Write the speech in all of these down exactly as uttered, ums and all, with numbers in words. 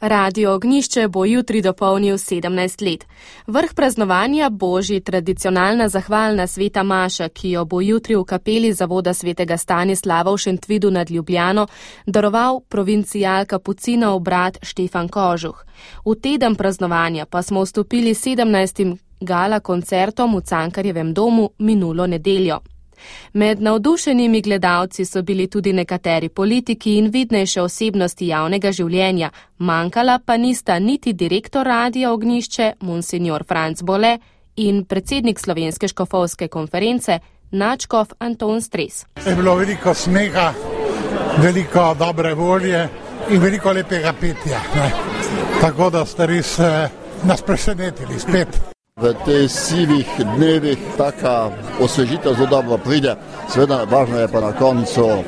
Radio Ognjišče bo jutri dopolnil sedemnajst let. Vrh praznovanja bo že tradicionalna zahvalna sveta maša, ki jo bo jutri v kapeli zavoda svetega Stanislava v Šentvidu nad Ljubljano daroval provincial kapucinov brat Štefan Kožuh. V teden praznovanja pa smo vstopili sedemnajstim gala koncertom v Cankarjevem domu minulo nedeljo. Med navdušenimi gledalci so bili tudi nekateri politiki in vidnejše osebnosti javnega življenja, manjkala pa nista niti direktor Radia Ognjišče, monsignor Franc Bole, in predsednik Slovenske škofovske konference, nadškof Anton Stres. Je bilo veliko smeha, veliko dobre volje in veliko lepega petja. Ne? Tako da ste res eh, nas presenetili spet. V teh sivih dnevih taka osvežitev zelo dobro pride. Seveda, važno je pa na koncu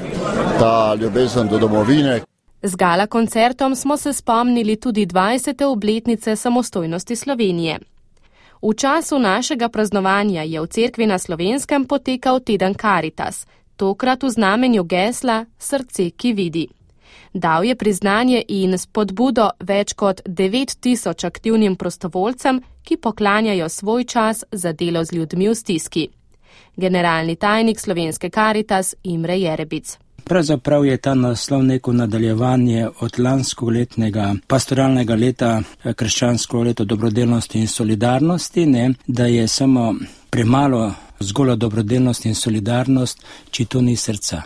ta ljubezen do domovine. Z gala koncertom smo se spomnili tudi dvajsete obletnice samostojnosti Slovenije. V času našega praznovanja je v cerkvi na Slovenskem potekal teden Karitas, tokrat v znamenju gesla Srce, ki vidi. Dal je priznanje in spodbudo več kot devet tisoč aktivnim prostovoljcem, ki poklanjajo svoj čas za delo z ljudmi v stiski. Generalni tajnik Slovenske Karitas Imre Jerebic. Pravzaprav je ta naslov neko nadaljevanje od lanskoletnega pastoralnega leta, krščansko leto dobrodelnosti in solidarnosti, ne, da je samo premalo zgolj dobrodelnost in solidarnost, če to ni srca.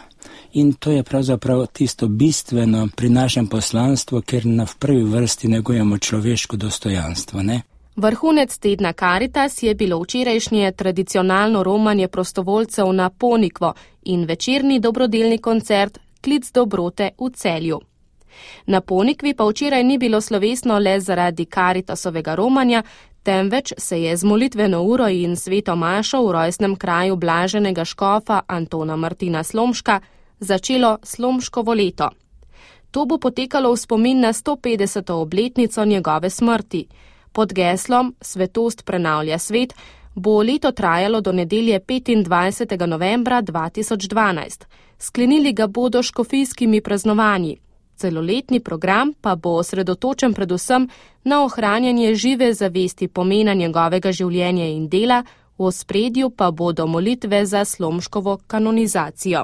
In to je pravzaprav tisto bistveno pri našem poslanstvu, ker na v prvi vrsti negujemo človeško dostojanstvo, ne? Vrhunec tedna Karitas je bilo včerajšnje tradicionalno romanje prostovoljcev na Ponikvo in večerni dobrodelni koncert Klic dobrote v Celju. Na Ponikvi pa včeraj ni bilo slovesno le zaradi Karitasovega romanja, temveč se je z molitveno uro in sveto mašo v rojstnem kraju blaženega škofa Antona Martina Slomška začelo Slomškovo leto. To bo potekalo v spomin na sto petdeseto obletnico njegove smrti. Pod geslom Svetost prenavlja svet bo leto trajalo do nedelje petindvajsetega novembra dva tisoč dvanajst. Sklenili ga bodo škofijskimi praznovanji. Celoletni program pa bo osredotočen predvsem na ohranjanje žive zavesti pomena njegovega življenja in dela, v ospredju pa bodo molitve za Slomškovo kanonizacijo.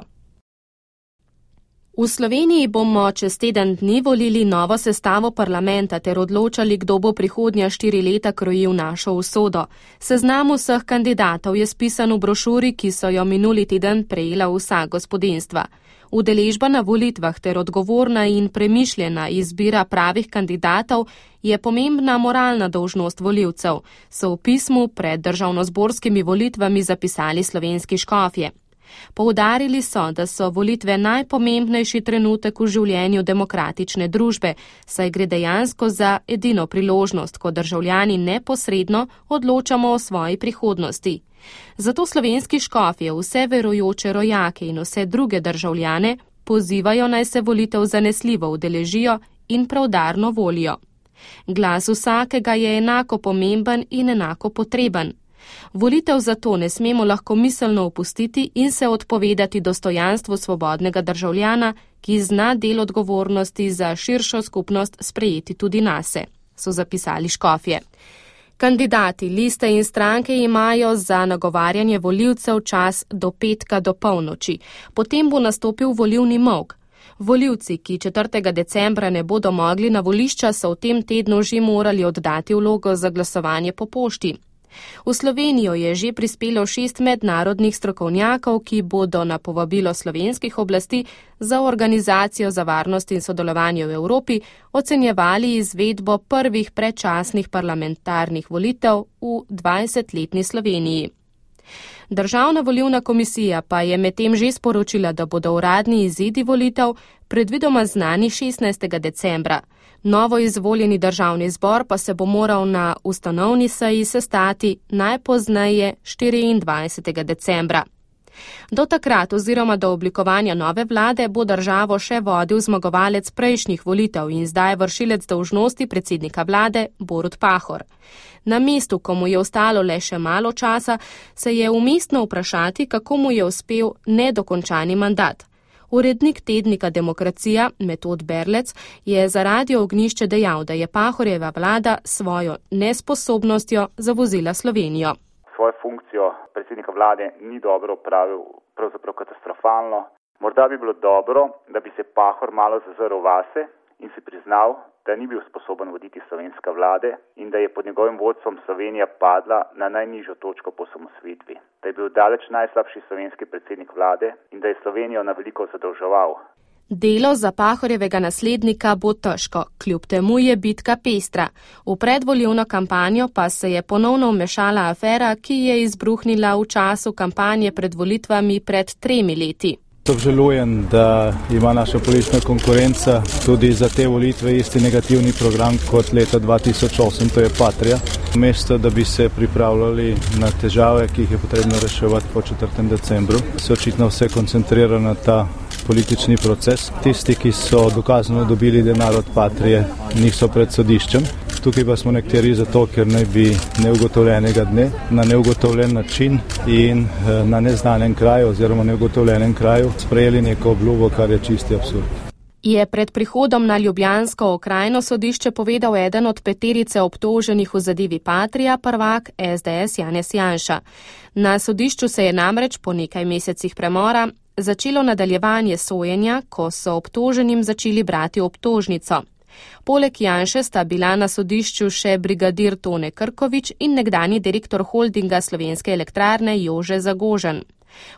V Sloveniji bomo čez teden dni volili novo sestavo parlamenta ter odločali, kdo bo prihodnja štiri leta krojil našo usodo. Seznam vseh kandidatov je spisan v brošuri, ki so jo minuli teden prejela vsa gospodinjstva. Udeležba na volitvah ter odgovorna in premišljena izbira pravih kandidatov je pomembna moralna dolžnost volivcev, so v pismu pred državnozborskimi volitvami zapisali slovenski škofje. Poudarili so, da so volitve najpomembnejši trenutek v življenju demokratične družbe, saj gre dejansko za edino priložnost, ko državljani neposredno odločamo o svoji prihodnosti. Zato slovenski škofje vse verujoče rojake in vse druge državljane pozivajo, naj se volitev zanesljivo udeležijo in preudarno volijo. Glas vsakega je enako pomemben in enako potreben. Volitev zato ne smemo lahko miselno opustiti in se odpovedati dostojanstvu svobodnega državljana, ki zna del odgovornosti za širšo skupnost sprejeti tudi nase, so zapisali škofje. Kandidati, liste in stranke imajo za nagovarjanje volivcev čas do petka do polnoči. Potem bo nastopil volilni molk. Volivci, ki četrtega decembra ne bodo mogli na volišča, so v tem tednu že morali oddati vlogo za glasovanje po pošti. V Slovenijo je že prispelo šest mednarodnih strokovnjakov, ki bodo na povabilo slovenskih oblasti za Organizacijo za varnost in sodelovanje v Evropi ocenjevali izvedbo prvih predčasnih parlamentarnih volitev v dvajsetletni Sloveniji. Državna volilna komisija pa je medtem že sporočila, da bodo uradni izidi volitev predvidoma znani šestnajstega decembra. Novo izvoljeni državni zbor pa se bo moral na ustanovni seji sestati najpozneje štiriindvajsetega decembra. Do takrat oziroma do oblikovanja nove vlade bo državo še vodil zmagovalec prejšnjih volitev in zdaj vršilec dolžnosti predsednika vlade Borut Pahor. Na mestu, ko mu je ostalo le še malo časa, se je umestno vprašati, kako mu je uspel nedokončani mandat. Urednik tednika Demokracija, Metod Berlec, je za Radio Ognjišče dejal, da je Pahorjeva vlada svojo nesposobnostjo zavozila Slovenijo. Svojo funkcijo predsednika vlade ni dobro opravil, pravzaprav katastrofalno. Morda bi bilo dobro, da bi se Pahor malo zazrl vase in si priznal, da ni bil sposoben voditi slovenske vlade in da je pod njegovim vodstvom Slovenija padla na najnižjo točko po osamosvojitvi. Da je bil daleč najslabši slovenski predsednik vlade in da je Slovenijo na veliko zadolževal. Delo za Pahorjevega naslednika bo težko, kljub temu je bitka pestra. V predvolilno kampanjo pa se je ponovno vmešala afera, ki je izbruhnila v času kampanje pred volitvami pred tremi leti. Obžalujem, da ima naša politična konkurenca tudi za te volitve isti negativni program kot leta dva tisoč osem, to je Patria. Mesto, da bi se pripravljali na težave, ki jih je potrebno reševati po četrtem decembru, se očitno vse koncentrira na ta politični proces. Tisti, ki so dokazano dobili denar od Patrije, niso pred sodiščem. Tukaj pa smo nekateri zato, ker naj bi neugotovljenega dne na neugotovljen način in na neznanem kraju oziroma neugotovljenem kraju sprejeli neko obljubo, kar je čisti absurd. Je pred prihodom na ljubljansko okrajno sodišče povedal eden od peterice obtoženih v zadevi Patrija, prvak es de es Janez Janša. Na sodišču se je namreč po nekaj mesecih premora začelo nadaljevanje sojenja, ko so obtoženim začeli brati obtožnico. Poleg Janše sta bila na sodišču še brigadir Tone Krkovič in nekdanji direktor holdinga Slovenske elektrarne Jože Zagožen.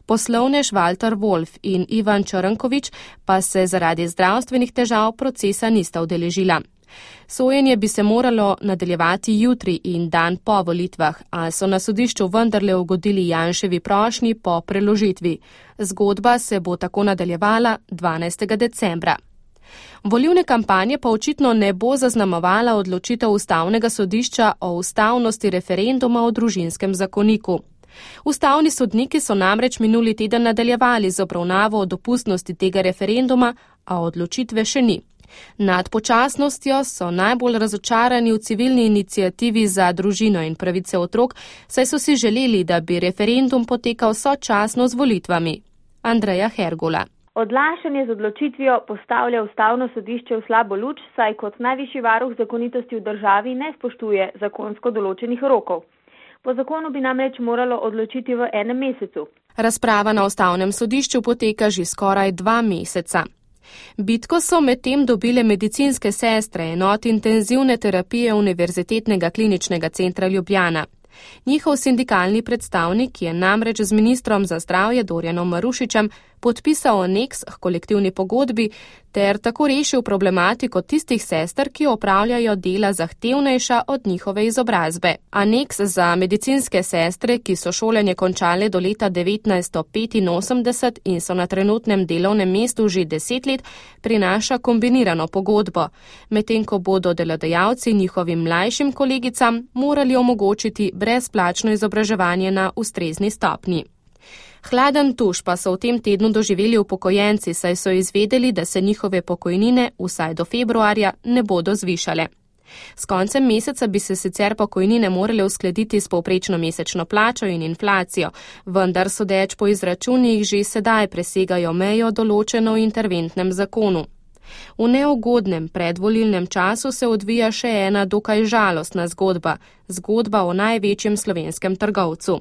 Poslovnež Walter Wolf in Ivan Črnkovič pa se zaradi zdravstvenih težav procesa nista udeležila. Sojenje bi se moralo nadaljevati jutri in dan po volitvah, a so na sodišču vendarle ugodili Janševi prošnji po preložitvi. Zgodba se bo tako nadaljevala dvanajstega decembra. Volilne kampanje pa očitno ne bo zaznamovala odločitev Ustavnega sodišča o ustavnosti referenduma o družinskem zakoniku. Ustavni sodniki so namreč minuli teden nadaljevali z obravnavo o dopustnosti tega referenduma, a odločitve še ni. Nad počasnostjo so najbolj razočarani v civilni iniciativi za družino in pravice otrok, saj so si želeli, da bi referendum potekal sočasno z volitvami. Andreja Hergola. Odlašanje z odločitvijo postavlja Ustavno sodišče v slabo luč, saj kot najvišji varuh zakonitosti v državi ne spoštuje zakonsko določenih rokov. Po zakonu bi namreč moralo odločiti v enem mesecu. Razprava na Ustavnem sodišču poteka že skoraj dva meseca. Bitko so medtem dobile medicinske sestre enot intenzivne terapije Univerzitetnega kliničnega centra Ljubljana. Njihov sindikalni predstavnik je namreč z ministrom za zdravje Dorjanom Marušičem podpisal aneks k kolektivni pogodbi ter tako rešil problematiko tistih sester, ki opravljajo dela zahtevnejša od njihove izobrazbe. Aneks za medicinske sestre, ki so šolanje končale do leta devetnajststo petinosemdeset in so na trenutnem delovnem mestu že deset let, prinaša kombinirano pogodbo, medtem ko bodo delodajalci njihovim mlajšim kolegicam morali omogočiti brezplačno izobraževanje na ustrezni stopnji. Hladen tuš pa so v tem tednu doživeli upokojenci, saj so izvedeli, da se njihove pokojnine vsaj do februarja ne bodo zvišale. S koncem meseca bi se sicer pokojnine morale uskladiti s povprečno mesečno plačo in inflacijo, vendar sodeč po izračunih že sedaj presegajo mejo določeno v interventnem zakonu. V neugodnem predvolilnem času se odvija še ena dokaj žalostna zgodba, zgodba o največjem slovenskem trgovcu.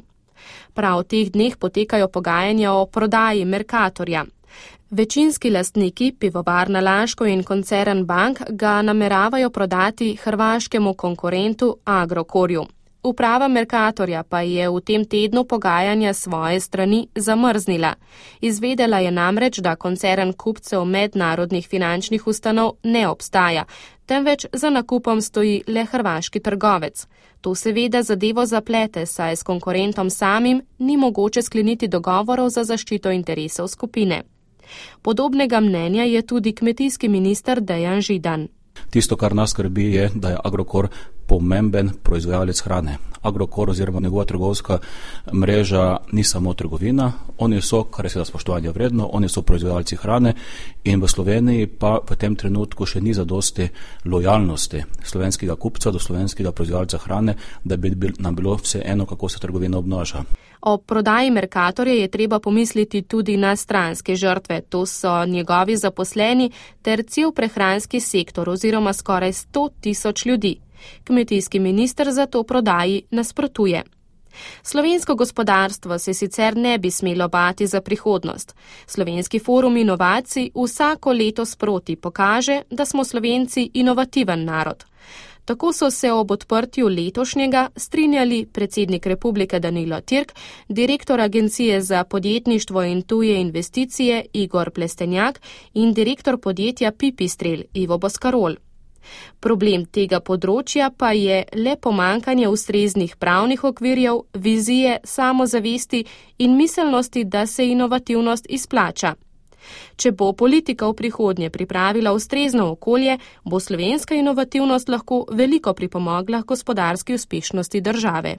Prav v teh dneh potekajo pogajanja o prodaji Mercatorja. Večinski lastniki, pivovarna Laško in koncern Bank, ga nameravajo prodati hrvaškemu konkurentu Agrokorju. Uprava Mercatorja pa je v tem tednu pogajanja svoje strani zamrznila. Izvedela je namreč, da koncern kupcev mednarodnih finančnih ustanov ne obstaja, temveč za nakupom stoji le hrvaški trgovec. To seveda zadevo zaplete, saj s konkurentom samim ni mogoče skleniti dogovorov za zaščito interesov skupine. Podobnega mnenja je tudi kmetijski minister Dejan Židan. Tisto, kar nas skrbi, je, da je Agrokor pomemben proizvajalec hrane. Agrokor oziroma njegova trgovska mreža ni samo trgovina, oni so, kar je seveda spoštovanje vredno, oni so proizvajalci hrane in v Sloveniji pa v tem trenutku še ni zadosti lojalnosti slovenskega kupca do slovenskega proizvajalca hrane, da bi nam bilo vse eno, kako se trgovina obnaša. O prodaji Mercatorja je treba pomisliti tudi na stranske žrtve, to so njegovi zaposleni ter cel prehranski sektor oziroma skoraj sto tisoč ljudi. Kmetijski minister za to prodaji nasprotuje. Slovensko gospodarstvo se sicer ne bi smelo bati za prihodnost. Slovenski forum inovacij vsako leto sproti pokaže, da smo Slovenci inovativen narod. Tako so se ob odprtju letošnjega strinjali predsednik Republike Danilo Türk, direktor Agencije za podjetništvo in tuje investicije Igor Plestenjak in direktor podjetja Pipistrel Ivo Boskarol. Problem tega področja pa je le pomankanje ustreznih pravnih okvirjev, vizije, samozavesti in miselnosti, da se inovativnost izplača. Če bo politika v prihodnje pripravila ustrezno okolje, bo slovenska inovativnost lahko veliko pripomogla k gospodarski uspešnosti države.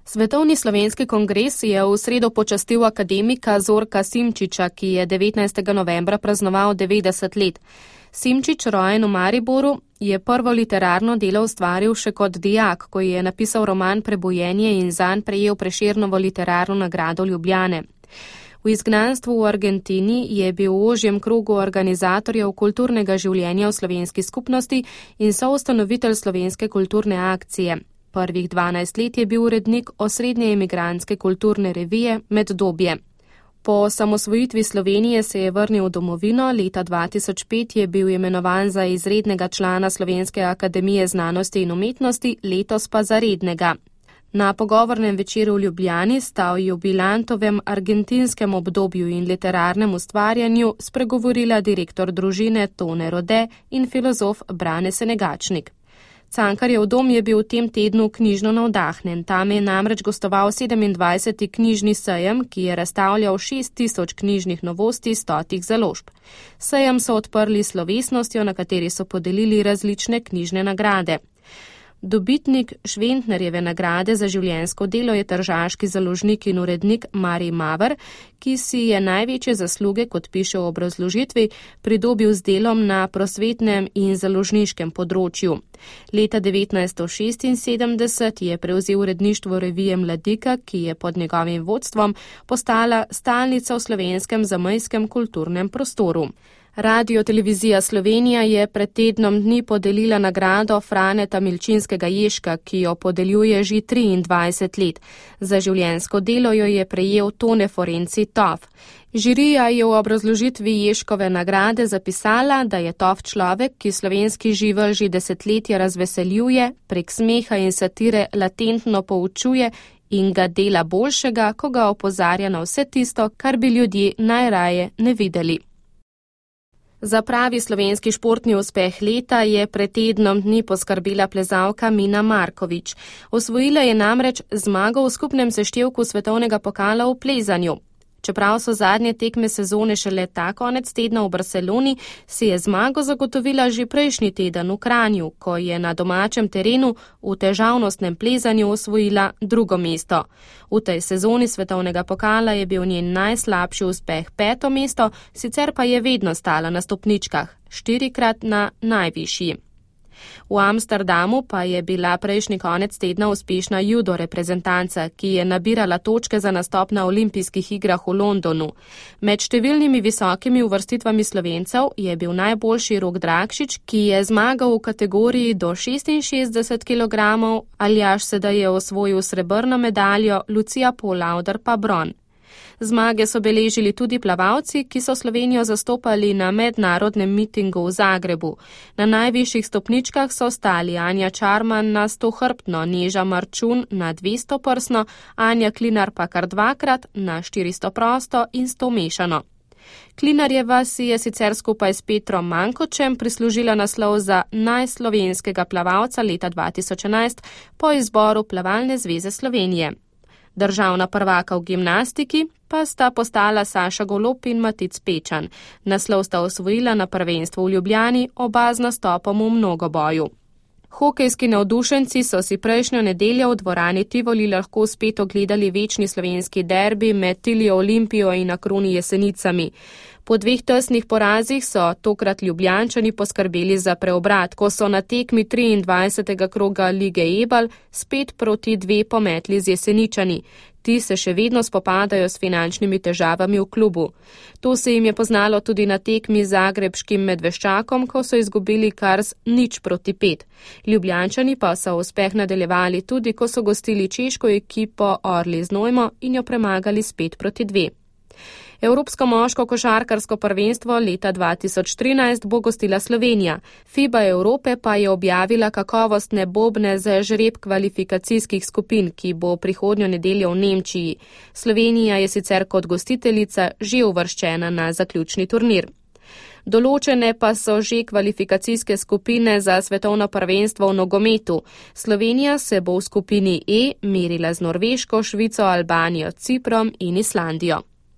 Svetovni slovenski kongres je v sredo počastil akademika Zorka Simčiča, ki je devetnajstega novembra praznoval devetdeset let. Simčič, rojen v Mariboru, je prvo literarno delo ustvaril še kot dijak, ko je napisal roman Prebojenje in zanj prejel Prešernovo literarno nagrado Ljubljane. V izgnanstvu v Argentini je bil v ožjem krogu organizatorjev kulturnega življenja v slovenski skupnosti in soustanovitelj slovenske kulturne akcije. Prvih dvanajst let je bil urednik osrednje emigrantske kulturne revije Meddobje. Po osamosvojitvi Slovenije se je vrnil v domovino, leta dva tisoč pet je bil imenovan za izrednega člana Slovenske akademije znanosti in umetnosti, letos pa za rednega. Na pogovornem večeru v Ljubljani sta o jubilantovem argentinskem obdobju in literarnem ustvarjanju spregovorila direktor družine Tone Rode in filozof Brane Senegačnik. Cankarjev dom je bil v tem tednu knjižno navdahnen. Tam je namreč gostoval sedemindvajseti knjižni sejem, ki je razstavljal šest tisoč knjižnih novosti stotih založb. Sejem so odprli s slovesnostjo, na kateri so podelili različne knjižne nagrade. Dobitnik Šventnerjeve nagrade za življenjsko delo je tržaški založnik in urednik Marij Maver, ki si je največje zasluge, kot piše v obrazložitvi, pridobil z delom na prosvetnem in založniškem področju. Leta devetnajststo šestinsedemdeset je prevzel uredništvo revije Mladika, ki je pod njegovim vodstvom postala stalnica v slovenskem zamejskem kulturnem prostoru. Radio-televizija Slovenija je pred tednom dni podelila nagrado Franeta Milčinskega Ježka, ki jo podeljuje že triindvajset let. Za življenjsko delo jo je prejel Tone Forenci Tof. Žirija je v obrazložitvi Ježkove nagrade zapisala, da je Tof človek, ki slovenski živelj že desetletja razveseljuje, prek smeha in satire latentno poučuje in ga dela boljšega, ko ga opozarja na vse tisto, kar bi ljudje najraje ne videli. Za pravi slovenski športni uspeh leta je pred tednom dni poskrbela plezalka Mina Markovič. Osvojila je namreč zmago v skupnem seštevku svetovnega pokala v plezanju. Čeprav so zadnje tekme sezone šele ta konec tedna v Barceloni, si je zmago zagotovila že prejšnji teden v Kranju, ko je na domačem terenu v težavnostnem plezanju osvojila drugo mesto. V tej sezoni svetovnega pokala je bil njen najslabši uspeh peto mesto, sicer pa je vedno stala na stopničkah, štirikrat na najvišji. V Amsterdamu pa je bila prejšnji konec tedna uspešna judo reprezentanca, ki je nabirala točke za nastop na olimpijskih igrah v Londonu. Med številnimi visokimi uvrstitvami Slovencev je bil najboljši Rok Drakšič, ki je zmagal v kategoriji do šestinšestdeset kilogramov, Aljaž Sedaj je osvojil srebrno medaljo, Lucija Polauder pa bron. Zmage so beležili tudi plavalci, ki so Slovenijo zastopali na mednarodnem mitingu v Zagrebu. Na najvišjih stopničkah so stali Anja Čarman na stohrbtno, Neža Marčun na dvesto prsno, Anja Klinar pa kar dvakrat na štiristo prosto in sto mešano. Klinarjeva si je sicer skupaj s Petrom Mankočem prislužila naslov za najslovenskega plavalca leta dva tisoč enajst po izboru Plavalne zveze Slovenije. Državna prvaka v gimnastiki pa sta postala Saša Golob in Matic Pečan. Naslov sta osvojila na prvenstvu v Ljubljani, oba z nastopom v mnogoboju. Hokejski navdušenci so si prejšnjo nedeljo v dvorani Tivoli lahko spet ogledali večni slovenski derbi med Tilijo Olimpijo in Akroni Jesenicami. Po dveh tesnih porazih so tokrat Ljubljančani poskrbeli za preobrat, ko so na tekmi triindvajsetega kroga Lige Ebal spet proti dve pometli z Jeseničani. Ti se še vedno spopadajo s finančnimi težavami v klubu. To se jim je poznalo tudi na tekmi z zagrebškim Medveščakom, ko so izgubili kar z nič proti pet. Ljubljančani pa so uspeh nadaljevali tudi, ko so gostili češko ekipo Orli Znojmo in jo premagali s pet proti dve. Evropsko moško košarkarsko prvenstvo leta dva tisoč trinajst bo gostila Slovenija. FIBA Evrope pa je objavila kakovostne bobne za žreb kvalifikacijskih skupin, ki bo prihodnjo nedeljo v Nemčiji. Slovenija je sicer kot gostiteljica že uvrščena na zaključni turnir. Določene pa so že kvalifikacijske skupine za svetovno prvenstvo v nogometu. Slovenija se bo v skupini E merila z Norveško, Švico, Albanijo, Ciprom in Islandijo.